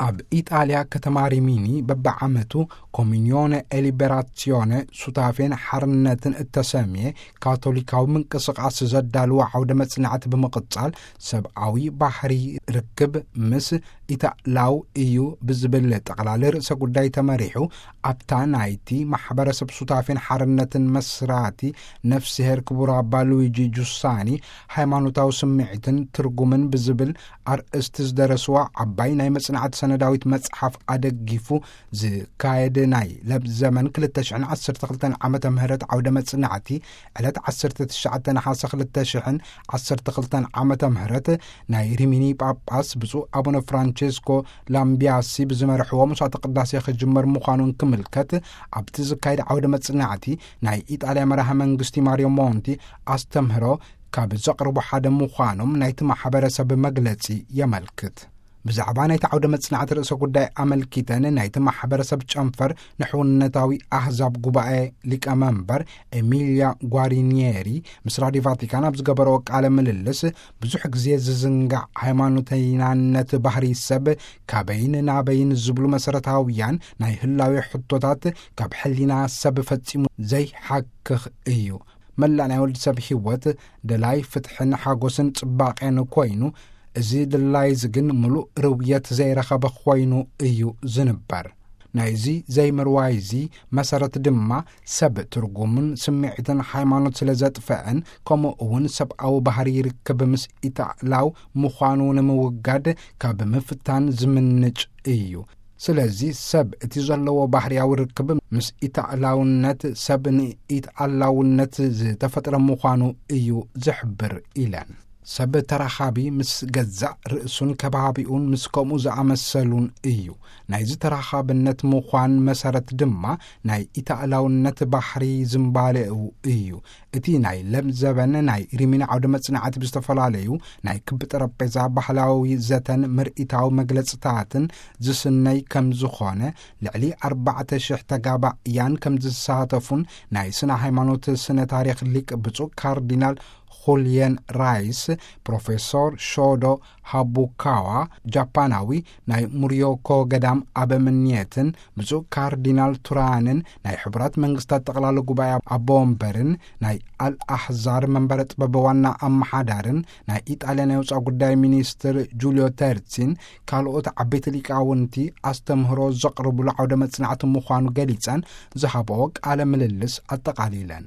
ኣብ ኢጣልያ ከተማ ሪሚኒ በብዓመቱ ኮሚኒዮነ ኤሊበራሲዮነ ሱታፌን ሓርነትን እተሰምየ ካቶሊካዊ ምንቅስቓስ ዘዳልዎ ዓውደ መጽናዕቲ ብምቕጻል፣ ሰብኣዊ ባህሪ ርክብ ምስ ኢታላው እዩ ብዝብል ጠቕላሊ ርእሰ ጉዳይ ተመሪሑ፣ ኣብታ ናይቲ ማሕበረሰብ ሱታፌን ሓርነትን መስራቲ ነፍስሄር ክቡር ኣባ ሉዊጂ ጁሳኒ ሃይማኖታዊ ስምዒትን ትርጉምን ብዝብል ኣርእስቲ ዝደረስዋ ዓባይ ናይ መጽናዕቲ ሰነዳዊት መጽሓፍ ኣደጊፉ ዝካየድ ናይ ለብ ዘመን ክልተ ሽሕን ዓሰርተ ክልተን ዓመተ ምህረት ዓውደ መጽናዕቲ ዕለት ዓሰርተ ትሽዓተ ነሓሰ ክልተ ሽሕን ዓሰርተ ክልተን ዓመተ ምህረት ናይ ሪሚኒ ጳጳስ ብፁዕ ኣቡነ ፍራንቼስኮ ላምቢያሲ ብዝመርሕዎ መስዋዕተ ቅዳሴ ክጅመር ምዃኑ እንክምልከት፣ ኣብቲ ዝካየድ ዓውደ መጽናዕቲ ናይ ኢጣልያ መራሒ መንግስቲ ማሪዮ ሞንቲ ኣስተምህሮ ካብ ዘቕርቡ ሓደ ምዃኖም ናይቲ ማሕበረሰብ መግለጺ የመልክት። ብዛዕባ ናይቲ ዓውደ መጽናዕቲ ርእሰ ጉዳይ ኣመልኪተን ናይቲ ማሕበረሰብ ጨንፈር ንሕውነታዊ ኣህዛብ ጉባኤ ሊቀመንበር ኤሚልያ ጓሪኒየሪ ምስ ራዲዮ ቫቲካን ኣብ ዝገበረኦ ቃለ ምልልስ፣ ብዙሕ ግዜ ዝዝንጋዕ ሃይማኖተይናነት ባህሪ ሰብ ካበይን ናበይን ዝብሉ መሰረታውያን ናይ ህላዌ ሕቶታት ካብ ሕሊና ሰብ ፈጺሙ ዘይሓክኽ እዩ። መላእ ናይ ወዲ ሰብ ህይወት ደላይ ፍትሕን ሓጎስን ጽባቄን ኮይኑ፣ እዚ ድላይዚ ግን ምሉእ ርውየት ዘይረኸበ ኮይኑ እዩ ዝንበር። ናይዚ ዘይምርዋይዚ መሰረት ድማ ሰብ ትርጉምን ስምዒትን ሃይማኖት ስለ ዘጥፍአን፣ ከምኡ እውን ሰብኣዊ ባህሪ ይርክብ ምስ ኢታላው ምዃኑ ንምውጋድ ካብ ምፍታን ዝምንጭ እዩ። ስለዚ ሰብ እቲ ዘለዎ ባህርያዊ ርክብ ምስ ኢታላውነት ሰብ ንኢታላውነት ዝተፈጥረ ምዃኑ እዩ ዝሕብር ኢለን። ሰብ ተራኻቢ ምስ ገዛእ ርእሱን ከባቢኡን ምስ ከምኡ ዝኣመሰሉን እዩ። ናይዚ ተራኻብነት ምዃን መሰረት ድማ ናይ ኢታላውነት ባህሪ ዝምባሌኡ እዩ። እቲ ናይ ለምዘበን ናይ ሪሚኒ ዓውደ መጽናዕቲ ብዝተፈላለዩ ናይ ክቢ ጠረጴዛ ባህላዊ ዘተን ምርኢታዊ መግለጽታትን ዝስነይ ከም ዝኾነ፣ ልዕሊ ኣርባዕተ ሽሕ ተጋባእያን ከም ዝሳተፉን ናይ ስነ ሃይማኖት ስነ ታሪኽ ሊቅ ብፁዕ ካርዲናል ሁልየን ራይስ፣ ፕሮፌሶር ሾዶ ሃቡካዋ፣ ጃፓናዊ ናይ ሙርዮኮ ገዳም ኣበምኔትን ብፁዕ ካርዲናል ቱራንን ናይ ሕቡራት መንግስታት ጠቕላሊ ጉባኤ ኣቦ ወንበርን ናይ ኣልኣሕዛር መንበረ ጥበብ ዋና ኣመሓዳርን ናይ ኢጣልያ ናይ ወፃኢ ጉዳይ ሚኒስትር ጁልዮ ተርሲን ካልኦት ዓበይቲ ሊቃውንቲ ኣስተምህሮ ዘቕርብሉ ዓውደ መጽናዕቲ ምዃኑ ገሊጸን ዝሃበኦ ቃለ ምልልስ ኣጠቓሊለን።